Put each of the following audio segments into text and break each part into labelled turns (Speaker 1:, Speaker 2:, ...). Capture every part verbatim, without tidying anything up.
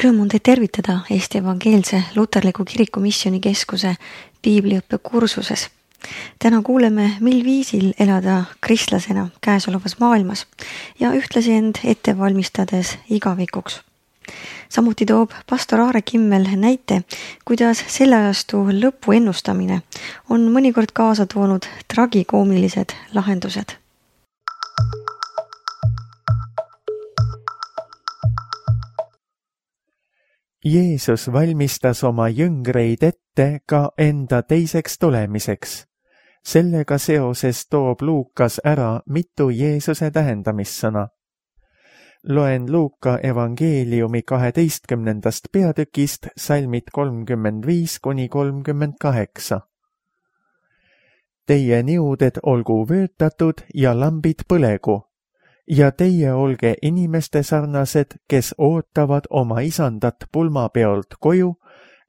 Speaker 1: Rõõm on teid tervitada Eesti Evangeelse Luterliku Kiriku Missioonikeskuse piibliõppe kursuses. Täna kuuleme, mil viisil elada kristlasena käesolevas maailmas ja ühtlasi end ette valmistades igavikuks. Samuti toob pastor Aare Kimmel näite, kuidas selle ajastu lõpu ennustamine on mõnikord kaasa toonud tragikoomilised lahendused.
Speaker 2: Jeesus valmistas oma jüngreid ette ka enda teiseks tulemiseks. Sellega seoses toob Luukas ära mitu Jeesuse tähendamissõna. Loen Luuka evangeeliumi kaheteistkümnendast peatükist salmid kolmkümmend viis kuni kolmkümmend kaheksa. Teie niuded olgu vöötatud ja lambid põlegu, ja teie olge inimeste sarnased, kes ootavad oma isandat pulmapeolt koju,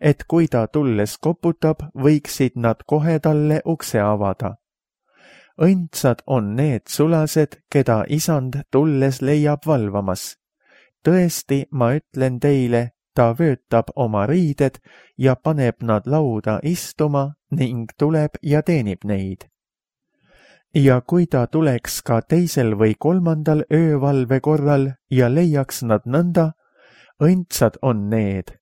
Speaker 2: et kui ta tulles koputab, võiksid nad kohe talle ukse avada. Õndsad on need sulased, keda isand tulles leiab valvamas. Tõesti, ma ütlen teile, ta vöötab oma riided ja paneb nad lauda istuma ning tuleb ja teenib neid. Ja kui ta tuleks ka teisel või kolmandal öövalve korral ja leiaks nad nõnda, õndsad on need.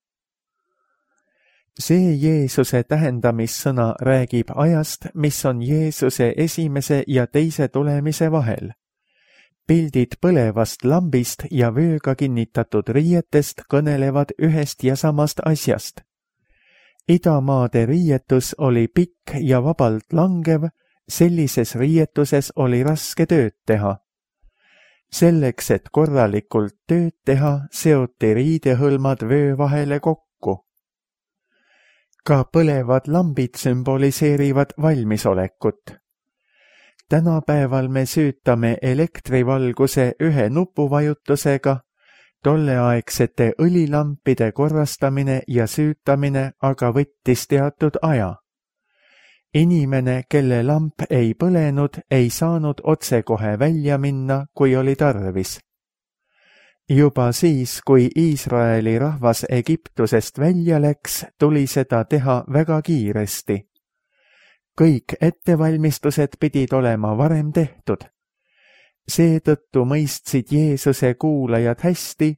Speaker 2: See Jeesuse tähendamissõna räägib ajast, mis on Jeesuse esimese ja teise tulemise vahel. Pildid põlevast lambist ja vööga kinnitatud riietest kõnelevad ühest ja samast asjast. Idamaade riietus oli pikk ja vabalt langev, sellises riietuses oli raske tööd teha. Selleks, et korralikult tööd teha, seoti riidehõlmad vöö vahele kokku. Ka põlevad lambid sümboliseerivad valmisolekut. Tänapäeval me süütame elektrivalguse ühe nupuvajutusega, tolleaegsete õlilampide korrastamine ja süütamine aga võttis teatud aja. Inimene, kelle lamp ei põlenud, ei saanud otsekohe välja minna, kui oli tarvis. Juba siis, kui Iisraeli rahvas Egiptusest välja läks, tuli seda teha väga kiiresti. Kõik ettevalmistused pidid olema varem tehtud. Seetõttu mõistsid Jeesuse kuulajad hästi,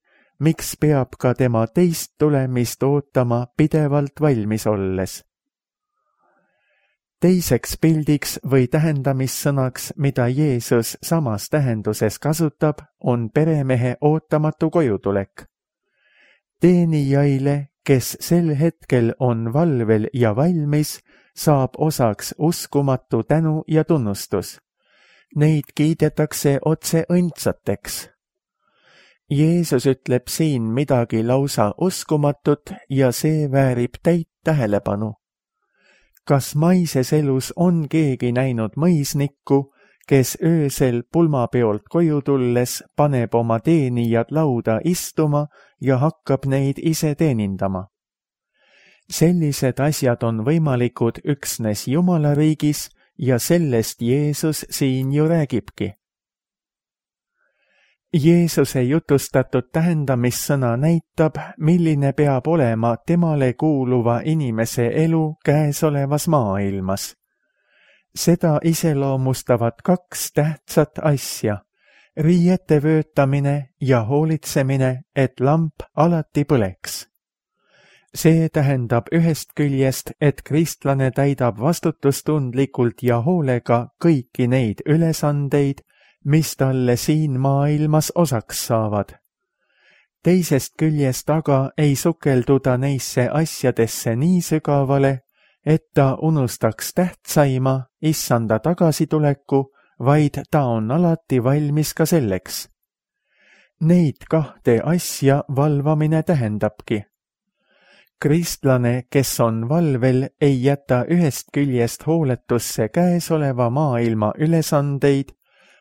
Speaker 2: miks peab ka tema teist tulemist ootama pidevalt valmis olles. Teiseks pildiks või tähendamissõnaks, mida Jeesus samas tähenduses kasutab, on peremehe ootamatu kojutulek. Teenijaile, kes sel hetkel on valvel ja valmis, saab osaks uskumatu tänu ja tunnustus. Neid kiidetakse otse õndsateks. Jeesus ütleb siin midagi lausa uskumatut ja see väärib täit tähelepanu. Kas maises elus on keegi näinud mõisnikku, kes öösel pulmapeolt koju tulles paneb oma teenijad lauda istuma ja hakkab neid ise teenindama? Sellised asjad on võimalikud üksnes Jumala riigis ja sellest Jeesus siin ju räägibki. Jeesuse jutustatud tähendamissõna näitab, milline peab olema temale kuuluva inimese elu käesolevas maailmas. Seda iseloomustavad kaks tähtsat asja, riiete vöötamine ja hoolitsemine, et lamp alati põleks. See tähendab ühest küljest, et kristlane täidab vastutustundlikult ja hoolega kõiki neid ülesandeid, mis talle siin maailmas osaks saavad. Teisest küljest aga ei sukelduda neisse asjadesse nii sügavale, et ta unustaks tähtsaima, issanda tagasituleku, vaid ta on alati valmis ka selleks. Neid kahte asja valvamine tähendabki. Kristlane, kes on valvel, ei jäta ühest küljest hooletusse käesoleva maailma ülesandeid,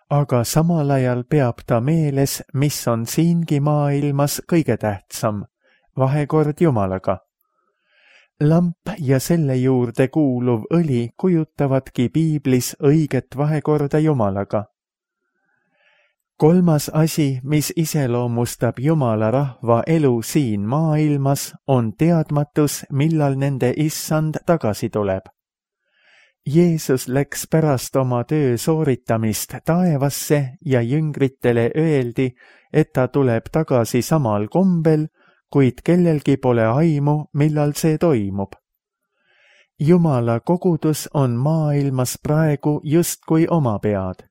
Speaker 2: aga samal ajal peab ta meeles, mis on siingi maailmas kõige tähtsam, vahekord Jumalaga. Lamp ja selle juurde kuuluv õli kujutavadki piiblis õiget vahekorda Jumalaga. kolmas asi, mis iseloomustab Jumala rahva elu siin maailmas, on teadmatus, millal nende issand tagasi tuleb. Jeesus läks pärast oma töö sooritamist taevasse ja jüngritele öeldi, et ta tuleb tagasi samal kombel, kuid kellelgi pole aimu, millal see toimub. Jumala kogudus on maailmas praegu justkui oma pead.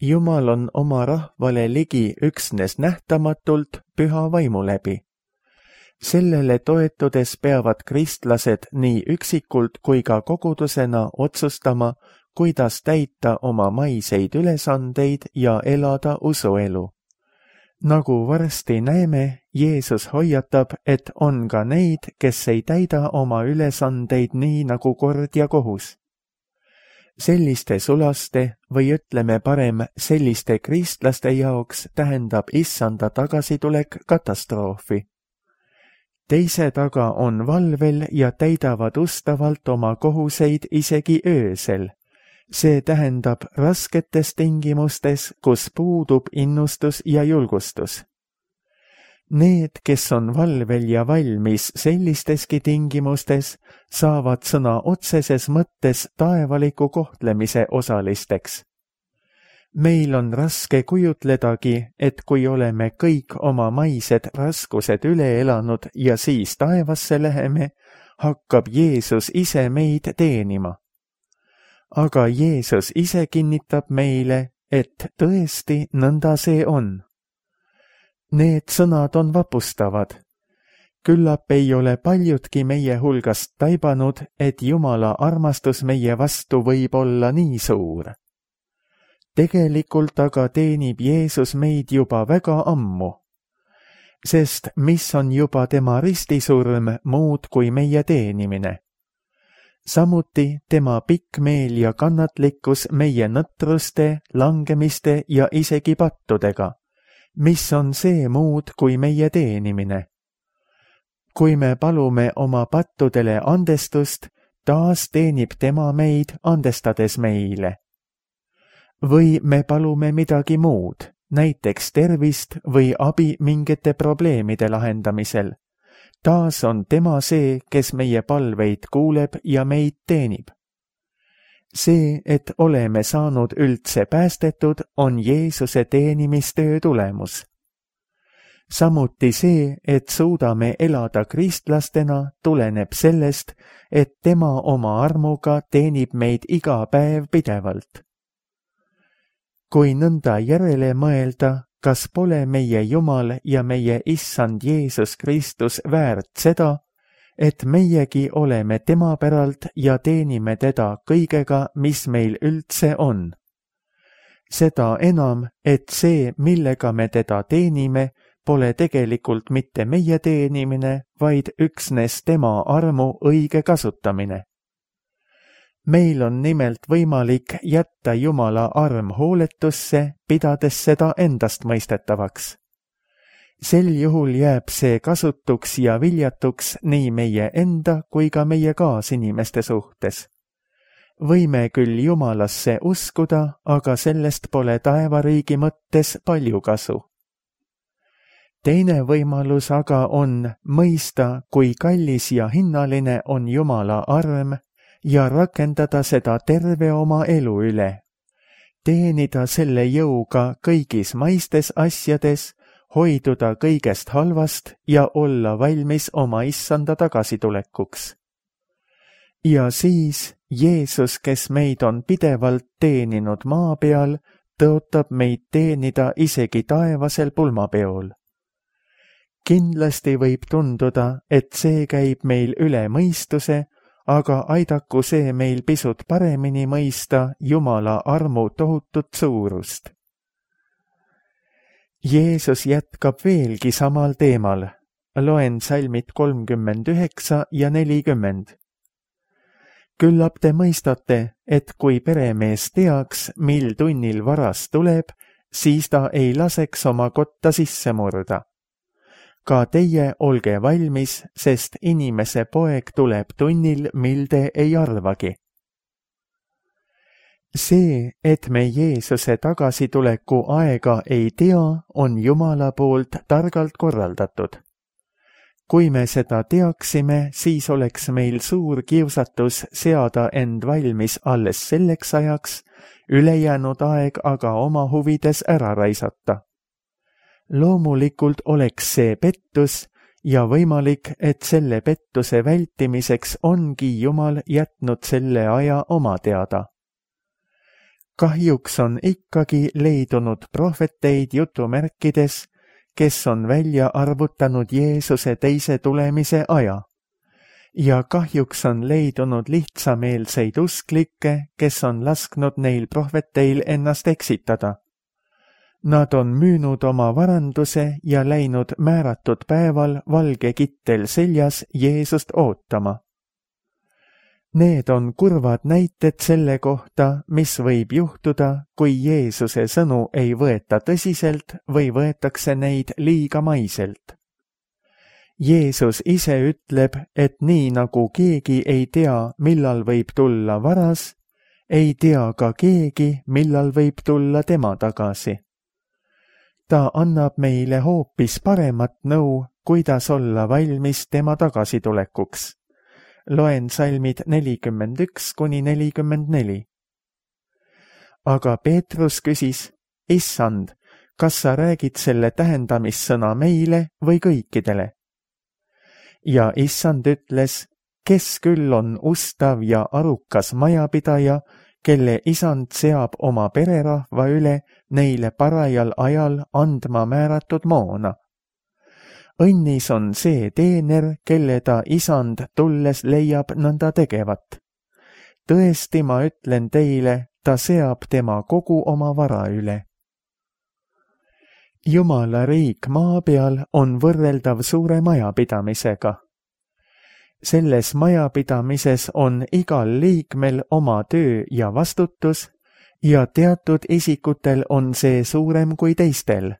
Speaker 2: Jumal on oma rahvale ligi üksnes nähtamatult püha vaimu läbi. Sellele toetudes peavad kristlased nii üksikult kui ka kogudusena otsustama, kuidas täita oma maiseid ülesandeid ja elada usuelu. Nagu varsti näeme, Jeesus hoiatab, et on ka neid, kes ei täida oma ülesandeid nii nagu kord ja kohus. Selliste sulaste või ütleme parem selliste kristlaste jaoks tähendab issanda tagasitulek katastroofi. Teised aga on valvel ja täidavad ustavalt oma kohuseid isegi öösel. See tähendab rasketes tingimustes, kus puudub innustus ja julgustus. Need, kes on valvel ja valmis sellisteski tingimustes, saavad sõna otseses mõttes taevaliku kohtlemise osalisteks. Meil on raske kujutledagi, et kui oleme kõik oma maised raskused üle elanud ja siis taevasse läheme, hakkab Jeesus ise meid teenima. Aga Jeesus ise kinnitab meile, et tõesti nõnda see on. Need sõnad on vapustavad. Küllap ei ole paljudki meie hulgast taibanud, et Jumala armastus meie vastu võib olla nii suur. Tegelikult aga teenib Jeesus meid juba väga ammu, sest mis on juba tema ristisurm muud kui meie teenimine. Samuti tema pikk meel ja kannatlikkus meie nõtruste, langemiste ja isegi pattudega, mis on see muud kui meie teenimine. Kui me palume oma pattudele andestust, taas teenib tema meid andestades meile. Või me palume midagi muud, näiteks tervist või abi mingite probleemide lahendamisel. Taas on tema see, kes meie palveid kuuleb ja meid teenib. See, et oleme saanud üldse päästetud, on Jeesuse teenimistöö tulemus. Samuti see, et suudame elada kristlastena, tuleneb sellest, et tema oma armuga teenib meid iga päev pidevalt. Kui nõnda järele mõelda, kas pole meie Jumal ja meie issand Jeesus Kristus väärt seda, et meiegi oleme tema päralt ja teenime teda kõigega, mis meil üldse on. Seda enam, et see, millega me teda teenime, pole tegelikult mitte meie teenimine, vaid üksnes tema armu õige kasutamine. Meil on nimelt võimalik jätta Jumala arm hooletusse, pidades seda endast mõistetavaks. Sel juhul jääb see kasutuks ja viljatuks nii meie enda kui ka meie kaasinimeste suhtes. Võime küll Jumalasse uskuda, aga sellest pole taevariigi mõttes palju kasu. Teine võimalus aga on mõista, kui kallis ja hinnaline on Jumala arm ja rakendada seda terve oma elu üle. Teenida selle jõuga kõigis maistes asjades, hoiduda kõigest halvast ja olla valmis oma issanda tagasitulekuks. Ja siis Jeesus, kes meid on pidevalt teeninud maa peal, tõotab meid teenida isegi taevasel pulmapeol. Kindlasti võib tunduda, et see käib meil üle mõistuse, aga aidaku see meil pisut paremini mõista Jumala armu tohutut suurust. Jeesus jätkab veelgi samal teemal. Loen salmid kolmkümmend üheksa ja nelikümmend. Küllap te mõistate, et kui peremees teaks, mil tunnil varas tuleb, siis ta ei laseks oma kotta sisse murda. Ka teie olge valmis, sest inimese poeg tuleb tunnil, mil te ei arvagi. See, et me Jeesuse tagasituleku aega ei tea, on Jumala poolt targalt korraldatud. Kui me seda teaksime, siis oleks meil suur kiusatus seada end valmis alles selleks ajaks, ülejäänud aeg aga oma huvides ära raisata. Loomulikult oleks see pettus ja võimalik, et selle pettuse vältimiseks ongi Jumal jätnud selle aja oma teada. Kahjuks on ikkagi leidunud prohveteid jutumärkides, kes on välja arvutanud Jeesuse teise tulemise aja. Ja kahjuks on leidunud lihtsameelseid usklikke, kes on lasknud neil prohveteil ennast eksitada. Nad on müünud oma varanduse ja läinud määratud päeval valge kittel seljas Jeesust ootama. Need on kurvad näited selle kohta, mis võib juhtuda, kui Jeesuse sõnu ei võeta tõsiselt või võetakse neid liiga maiselt. Jeesus ise ütleb, et nii nagu keegi ei tea, millal võib tulla varas, ei tea ka keegi, millal võib tulla tema tagasi. Ta annab meile hoopis paremat nõu, kuidas olla valmis tema tagasitulekuks. Loen salmid nelikümmend üks kuni nelikümmend neli. Aga Peetrus küsis, Issand, kas sa räägid selle tähendamissõna meile või kõikidele? Ja Issand ütles, kes küll on ustav ja arukas majapidaja, kelle Isand seab oma pererahva üle neile parajal ajal andma määratud moona. Õnnis on see teener, kelle ta Isand tulles leiab nõnda tegevat. Tõesti ma ütlen teile, ta seab tema kogu oma vara üle. Jumala riik maa peal on võrreldav suure majapidamisega. Selles majapidamises on igal liikmel oma töö ja vastutus ja teatud isikutel on see suurem kui teistel.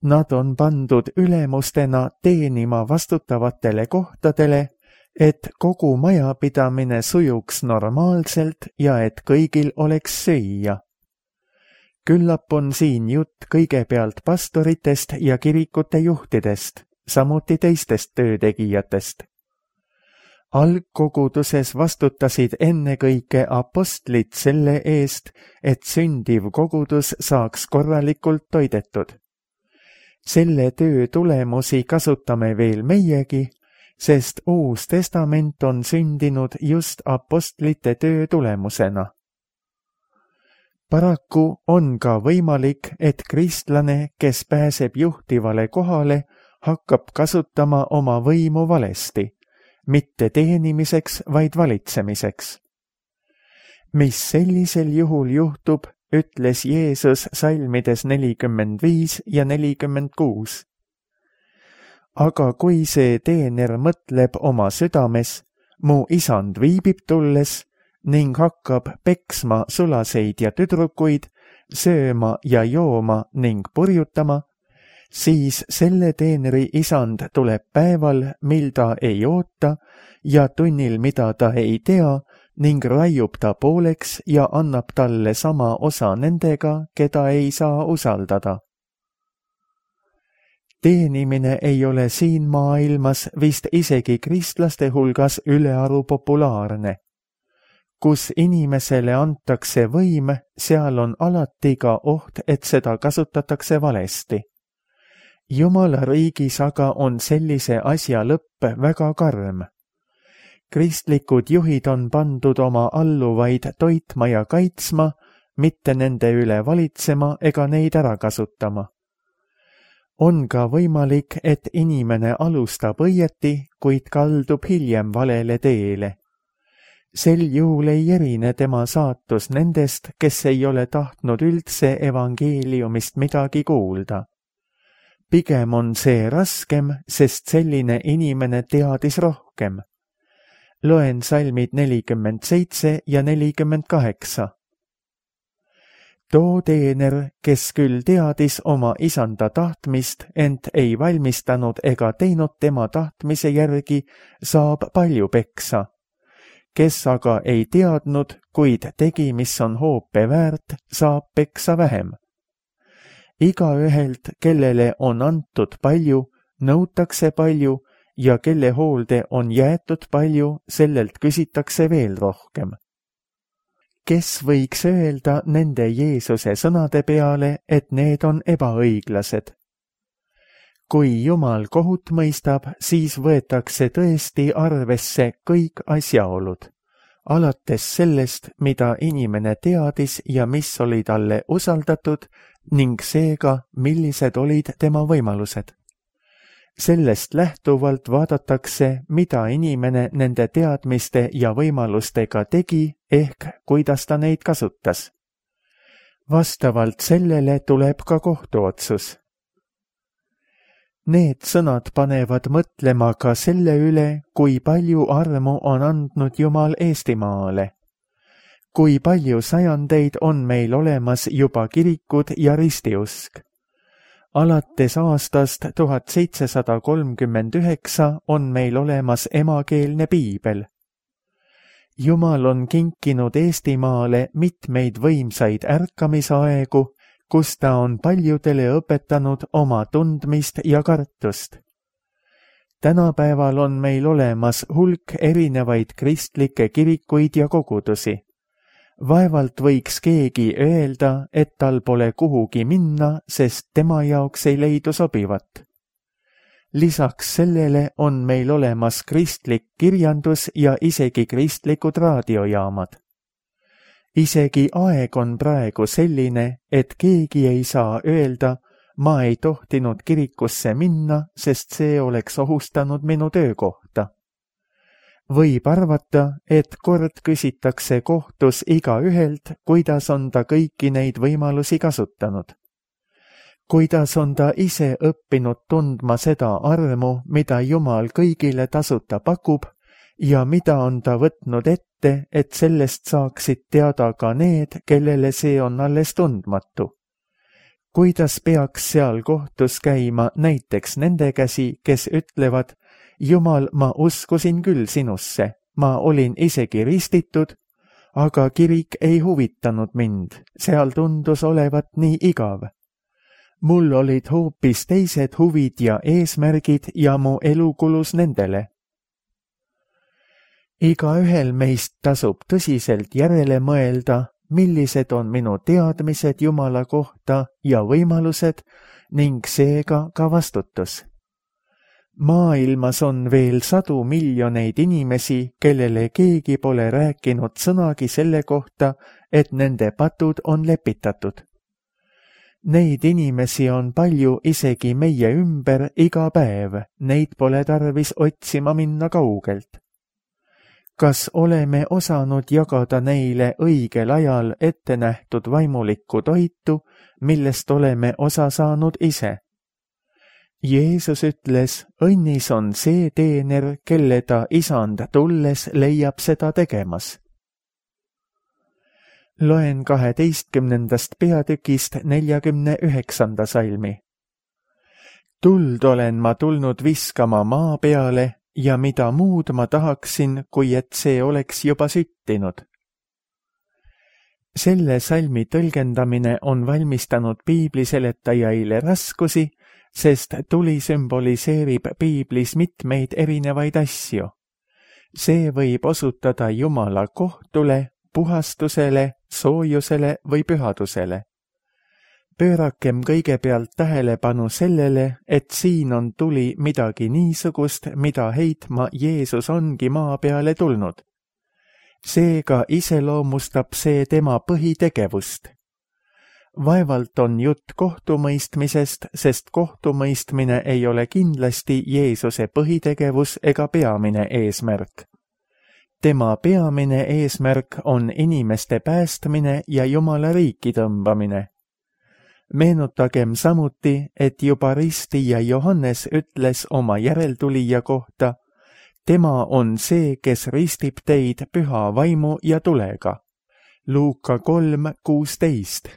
Speaker 2: Nad on pandud ülemustena teenima vastutavatele kohtadele, et kogu majapidamine sujuks normaalselt ja et kõigil oleks süüa. Küllap on siin jutt kõigepealt pastoritest ja kirikute juhtidest, samuti teistest töötegijatest. Algkoguduses vastutasid ennekõike apostlid selle eest, et sündiv kogudus saaks korralikult toidetud. Selle töö tulemusi kasutame veel meiegi, sest Uus Testament on sündinud just apostlite töö tulemusena. Paraku on ka võimalik, et kristlane, kes pääseb juhtivale kohale, hakkab kasutama oma võimu valesti, mitte teenimiseks, vaid valitsemiseks. Mis sellisel juhul juhtub, ütles Jeesus salmides nelikümmend viis ja nelikümmend kuus. Aga kui see teener mõtleb oma südames, mu Isand viibib tulles ning hakkab peksma sulaseid ja tüdrukuid, sööma ja jooma ning purjutama, siis selle teeneri Isand tuleb päeval, mil ta ei oota ja tunnil, mida ta ei tea, ning raiub ta pooleks ja annab talle sama osa nendega, keda ei saa usaldada. Teenimine ei ole siin maailmas vist isegi kristlaste hulgas ülearu populaarne. Kus inimesele antakse võim, seal on alati ka oht, et seda kasutatakse valesti. Jumala riigis aga on sellise asja lõpp väga karm. Kristlikud juhid on pandud oma alluvaid toitma ja kaitsma, mitte nende üle valitsema ega neid ära kasutama. On ka võimalik, et inimene alustab õieti, kuid kaldub hiljem valele teele. Sel juhul ei erine tema saatus nendest, kes ei ole tahtnud üldse evangeeliumist midagi kuulda. Pigem on see raskem, sest selline inimene teadis rohkem. Loen salmid nelikümmend seitse ja nelikümmend kaheksa. Too teener, kes küll teadis oma Isanda tahtmist, ent ei valmistanud ega teinud tema tahtmise järgi, saab palju peksa. kes aga ei teadnud, kuid tegi, mis on hoope väärt, saab peksa vähem. Igaühelt, kellele on antud palju, nõutakse palju ja kelle hoolde on jäetud palju, sellelt küsitakse veel rohkem. Kes võiks öelda nende Jeesuse sõnade peale, et need on ebaõiglased? Kui Jumal kohut mõistab, siis võetakse tõesti arvesse kõik asjaolud, alates sellest, mida inimene teadis ja mis oli talle usaldatud ning seega, millised olid tema võimalused. Sellest lähtuvalt vaadatakse, mida inimene nende teadmiste ja võimalustega tegi, ehk kuidas ta neid kasutas. Vastavalt sellele tuleb ka kohtuotsus. Need sõnad panevad mõtlema ka selle üle, kui palju armu on andnud Jumal Eestimaale. Kui palju sajandeid on meil olemas juba kirikud ja ristiusk. Alates aastast tuhat seitsesada kolmkümmend üheksa on meil olemas emakeelne piibel. Jumal on kinkinud Eestimaale mitmeid võimsaid ärkamisaegu, kus ta on paljudele õpetanud oma tundmist ja kartust. Tänapäeval on meil olemas hulk erinevaid kristlikke kirikuid ja kogudusi. Vaevalt võiks keegi öelda, et tal pole kuhugi minna, sest tema jaoks ei leidu sobivat. Lisaks sellele on meil olemas kristlik kirjandus ja isegi kristlikud raadiojaamad. Isegi aeg on praegu selline, et keegi ei saa öelda, ma ei tohtinud kirikusse minna, sest see oleks ohustanud minu töökohta. Võib arvata, et kord küsitakse kohtus igaühelt, kuidas on ta kõiki neid võimalusi kasutanud. Kuidas on ta ise õppinud tundma seda armu, mida Jumal kõigile tasuta pakub, ja mida on ta võtnud ette, et sellest saaksid teada ka need, kellele see on alles tundmatu. Kuidas peaks seal kohtus käima näiteks nende käsi, kes ütlevad, Jumal, ma uskusin küll sinusse, ma olin isegi ristitud, aga kirik ei huvitanud mind, seal tundus olevat nii igav. Mul olid hoopis teised huvid ja eesmärgid ja mu elu kulus nendele. Igaühel meist tasub tõsiselt järele mõelda, millised on minu teadmised Jumala kohta ja võimalused ning seega ka vastutus. Maailmas on veel sadu miljoneid inimesi, kellele keegi pole rääkinud sõnagi selle kohta, et nende patud on lepitatud. Neid inimesi on palju isegi meie ümber iga päev, neid pole tarvis otsima minna kaugelt. Kas oleme osanud jagada neile õigel ajal ette nähtud vaimulikku toitu, millest oleme osa saanud ise? Jeesus ütles, õnnis on see teener, kelle ta isand tulles leiab seda tegemas. Loen kaheteistkümnendast peatükist neljakümne üheksanda salmi. Tuld olen ma tulnud viskama maa peale ja mida muud ma tahaksin, kui et see oleks juba süttinud. Selle salmi tõlgendamine on valmistanud piibliseletajaile raskusi, sest tuli sümboliseerib piiblis mitmeid erinevaid asju. See võib osutada Jumala kohtule, puhastusele, soojusele või pühadusele. Pöörakem kõigepealt tähelepanu sellele, et siin on tuli midagi niisugust, mida heitma Jeesus ongi maa peale tulnud. Seega iseloomustab see tema põhitegevust. Vaevalt on jutt kohtumõistmisest, sest kohtumõistmine ei ole kindlasti Jeesuse põhitegevus ega peamine eesmärk. Tema peamine eesmärk on inimeste päästmine ja Jumala riiki tõmbamine. Meenutagem samuti, et juba ristija Johannes ütles oma järeltulija kohta, tema on see, kes ristib teid püha vaimu ja tulega. Luuka kolm kuusteist.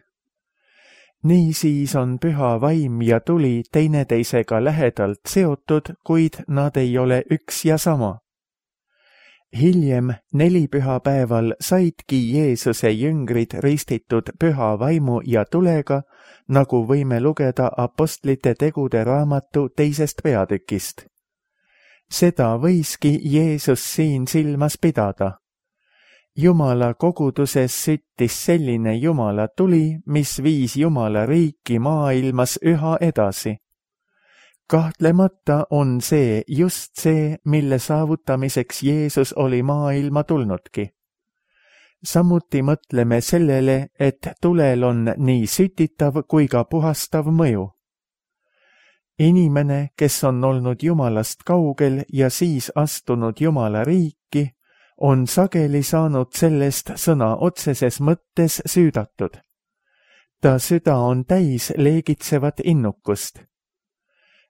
Speaker 2: Niisiis on püha vaim ja tuli teineteisega lähedalt seotud, kuid nad ei ole üks ja sama. hiljem nelipühapäeval saidki Jeesuse jüngrid ristitud püha vaimu ja tulega, nagu võime lugeda apostlite tegude raamatu teisest peatükist. Seda võiski Jeesus siin silmas pidada. Jumala koguduses süttis selline Jumala tuli, mis viis Jumala riiki maailmas üha edasi. Kahtlemata on see just see, mille saavutamiseks Jeesus oli maailma tulnudki. Samuti mõtleme sellele, et tulel on nii sütitav kui ka puhastav mõju. Inimene, kes on olnud Jumalast kaugel ja siis astunud Jumala riiki, on sageli saanud sellest sõna otseses mõttes süüdatud. Ta süda on täis leegitsevat innukust.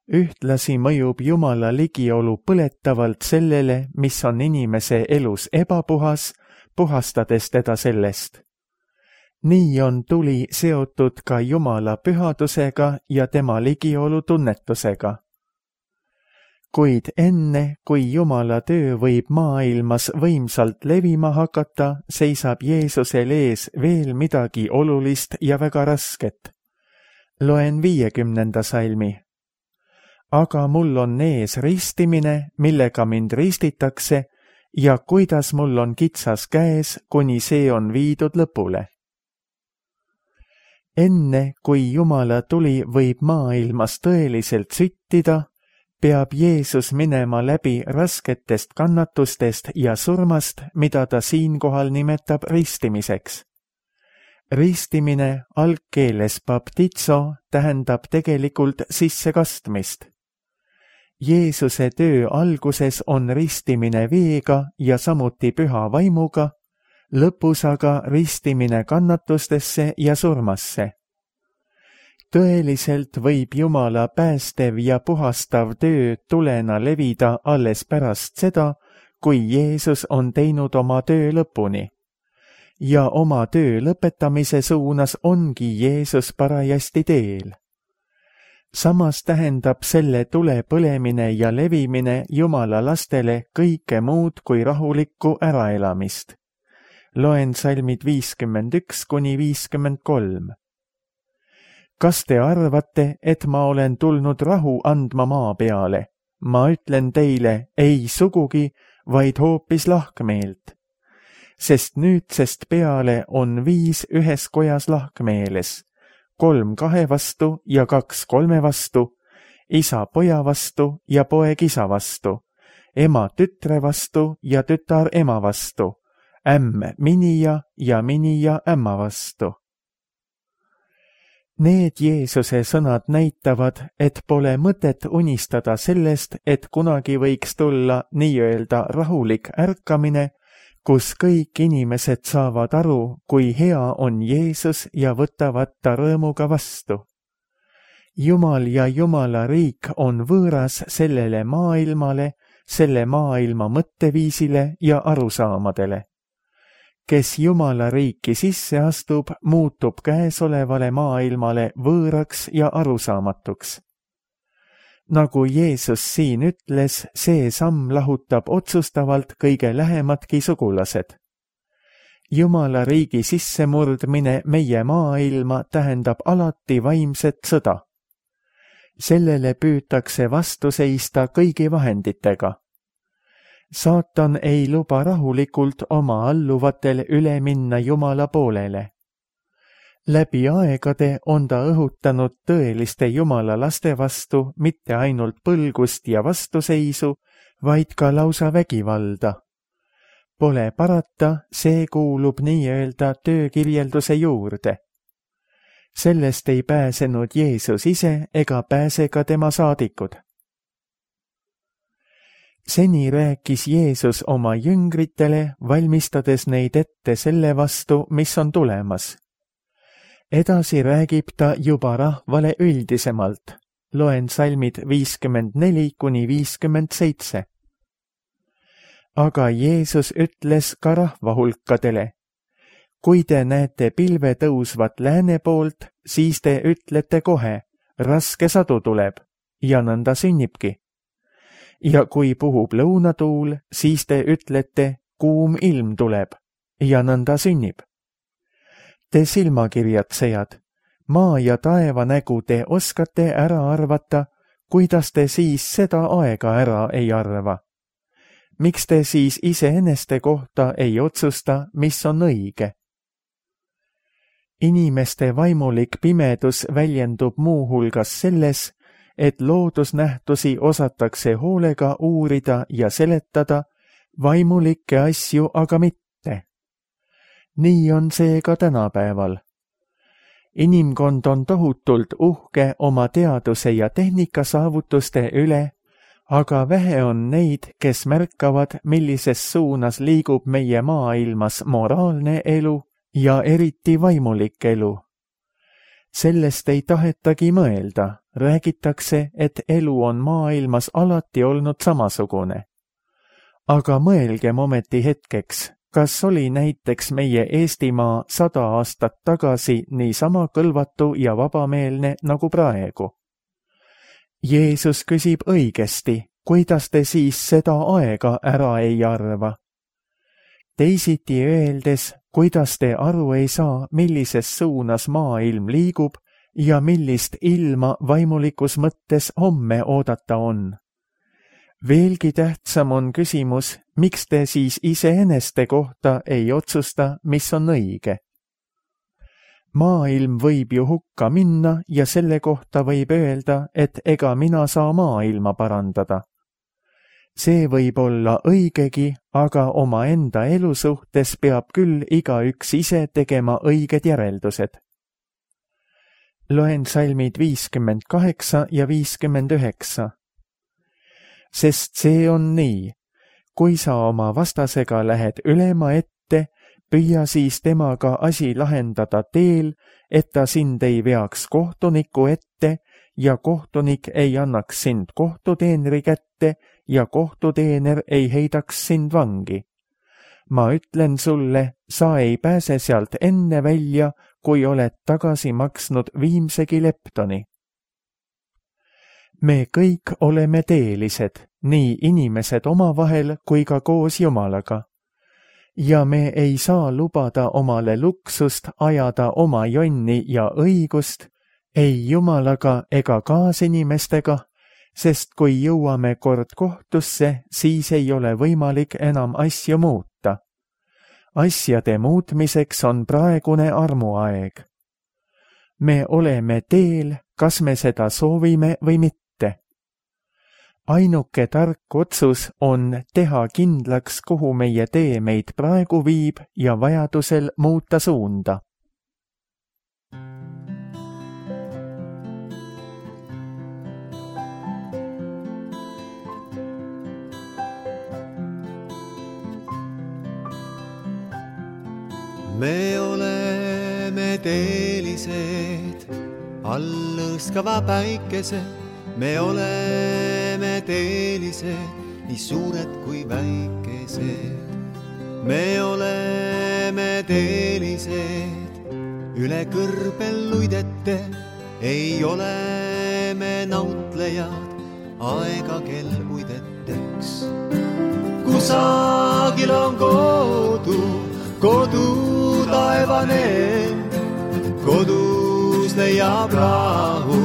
Speaker 2: Ühtlasi mõjub Jumala ligiolu põletavalt sellele, mis on inimese elus ebapuhas, puhastades teda sellest. Nii on tuli seotud ka Jumala pühadusega ja tema ligiolu tunnetusega. Kuid enne, kui Jumala töö võib maailmas võimsalt levima hakata, seisab Jeesusel ees veel midagi olulist ja väga rasket. Loen viiekümnenda salmi. Aga mul on ees ristimine, millega mind ristitakse, ja kuidas mul on kitsas käes, kuni see on viidud lõpule. Enne, kui Jumala tuli võib maailmas tõeliselt süttida, peab Jeesus minema läbi rasketest kannatustest ja surmast, mida ta siinkohal nimetab ristimiseks. Ristimine algkeeles baptizo tähendab tegelikult sissekastmist. Jeesuse töö alguses on ristimine veega ja samuti püha vaimuga, lõpus aga ristimine kannatustesse ja surmasse. Tõeliselt võib Jumala päästev ja puhastav töö tulena levida alles pärast seda, kui Jeesus on teinud oma töö lõpuni. Ja oma töö lõpetamise suunas ongi Jeesus parajasti teel. Samas tähendab selle tule põlemine ja levimine Jumala lastele kõike muud kui rahulikku äraelamist. Loen salmid viiskümmend üks kuni viiskümmend kolm. Kas te arvate, et ma olen tulnud rahu andma maa peale? Ma ütlen teile, ei sugugi, vaid hoopis lahkmeelt. Sest nüüdsest peale on viis ühes kojas lahkmeeles, kolm kahe vastu ja kaks kolme vastu, isa poja vastu ja poeg isa vastu, ema tütre vastu ja tütar ema vastu, ämm minija ja minija ämma vastu. Need Jeesuse sõnad näitavad, et pole mõtet unistada sellest, et kunagi võiks tulla nii-öelda rahulik ärkamine, kus kõik inimesed saavad aru, kui hea on Jeesus ja võtavad ta rõõmuga vastu. Jumal ja Jumala riik on võõras sellele maailmale, selle maailma mõtteviisile ja arusaamadele. Kes Jumala riiki sisse astub, muutub käesolevale maailmale võõraks ja arusaamatuks. Nagu Jeesus siin ütles, see samm lahutab otsustavalt kõige lähemadki sugulased. Jumala riigi sissemurdmine meie maailma tähendab alati vaimset sõda. Sellele püütakse vastu seista kõigi vahenditega. Saatan ei luba rahulikult oma alluvatel üle minna Jumala poolele. Läbi aegade on ta õhutanud tõeliste Jumala laste vastu mitte ainult põlgust ja vastuseisu, vaid ka lausa vägivalda. Pole parata, see kuulub nii-öelda töökirjelduse juurde. Sellest ei pääsenud Jeesus ise ega pääse ka tema saadikud. Seni rääkis Jeesus oma jüngritele, valmistades neid ette selle vastu, mis on tulemas. Edasi räägib ta juba rahvale üldisemalt. Loen salmid viiskümmend neli kuni viiskümmend seitse. Aga Jeesus ütles ka rahvahulkadele, kui te näete pilve tõusvat lääne poolt, siis te ütlete kohe, raske sadu tuleb, ja nõnda sünnibki. ja kui puhub lõunatuul, siis te ütlete, kuum ilm tuleb ja nõnda sünnib. Te silmakirjatsejad, maa ja taeva nägu te oskate ära arvata, kuidas te siis seda aega ära ei arva? Miks te siis iseeneste kohta ei otsusta, mis on õige? Inimeste vaimulik pimedus väljendub muuhulgas selles, et loodusnähtusi osatakse hoolega uurida ja seletada, vaimulikke asju aga mitte. Nii on see ka tänapäeval. Inimkond on tohutult uhke oma teaduse ja tehnika saavutuste üle, aga vähe on neid, kes märkavad, millises suunas liigub meie maailmas moraalne elu ja eriti vaimulik elu. Sellest ei tahetagi mõelda, räägitakse, et elu on maailmas alati olnud samasugune. Aga mõelgem ometi hetkeks, kas oli näiteks meie Eestimaa sada aastat tagasi niisama kõlvatu ja vabameelne nagu praegu? Jeesus küsib õigesti, kuidas te siis seda aega ära ei arva? Teisiti öeldes, kuidas te aru ei saa, millises suunas maailm liigub ja millist ilma vaimulikus mõttes homme oodata on. Veelgi tähtsam on küsimus, miks te siis iseeneste kohta ei otsusta, mis on õige. Maailm võib ju hukka minna ja selle kohta võib öelda, et ega mina saa maailma parandada. See võib olla õigegi, aga oma enda elu suhtes peab küll igaüks ise tegema õiged järeldused. Loen salmid viiskümmend kaheksa ja viiskümmend üheksa. Sest see on nii, kui sa oma vastasega lähed ülema ette, püüa siis temaga asi lahendada teel, et ta sind ei veaks kohtuniku ette ja kohtunik ei annaks sind kohtuteenri kätte ja kohtuteener ei heidaks sind vangi. Ma ütlen sulle, sa ei pääse sealt enne välja, kui oled tagasi maksnud viimsegi leptoni. Me kõik oleme teelised, nii inimesed omavahel kui ka koos Jumalaga. Ja me ei saa lubada omale luksust ajada oma jonni ja õigust, ei Jumalaga ega kaasinimestega, sest kui jõuame kord kohtusse, siis ei ole võimalik enam asju muuta. Asjade muutmiseks on praegune armuaeg. Me oleme teel, kas me seda soovime või mitte. Ainuke tark otsus on teha kindlaks, kuhu meie tee meid praegu viib ja vajadusel muuta suunda.
Speaker 3: Me oleme teelised, all lõõskava päikese. Me oleme teelised, nii suured kui väikesed. Me oleme teelised, üle kõrbel luidete. Ei ole me nautlejad, aega kel uideteks. Kusagil on kodu, kodu taevane, kodus leiab rahu,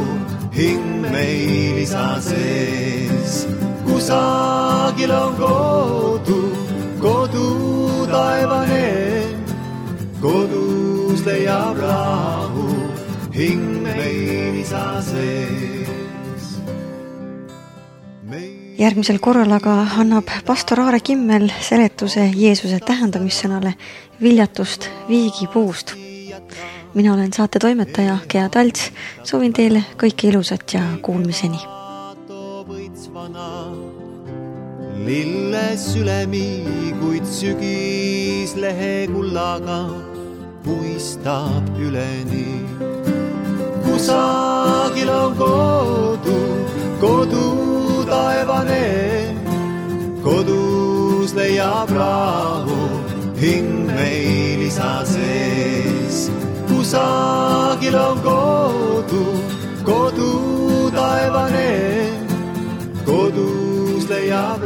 Speaker 3: hing meil isa sees. Kusagil on kodu, kodu taevane, kodus leiab rahu, hing meil isa sees. Meil...
Speaker 1: Järgmisel korral aga annab pastor Aare Kimmel seletuse Jeesuse tähendamissõnale viljatust viigipuust. Mina olen saate toimetaja Gea Talts, soovin teile kõike ilusat ja kuulmiseni.
Speaker 3: Lilles ülemi, kuid sügis lehe kullaga puistab üleni. Kusagil on kodu, kodu taevane, kodus leiab rahu, hing meil isa sees. Kusagil on kodu, kodu taevane, kodus leiab leiab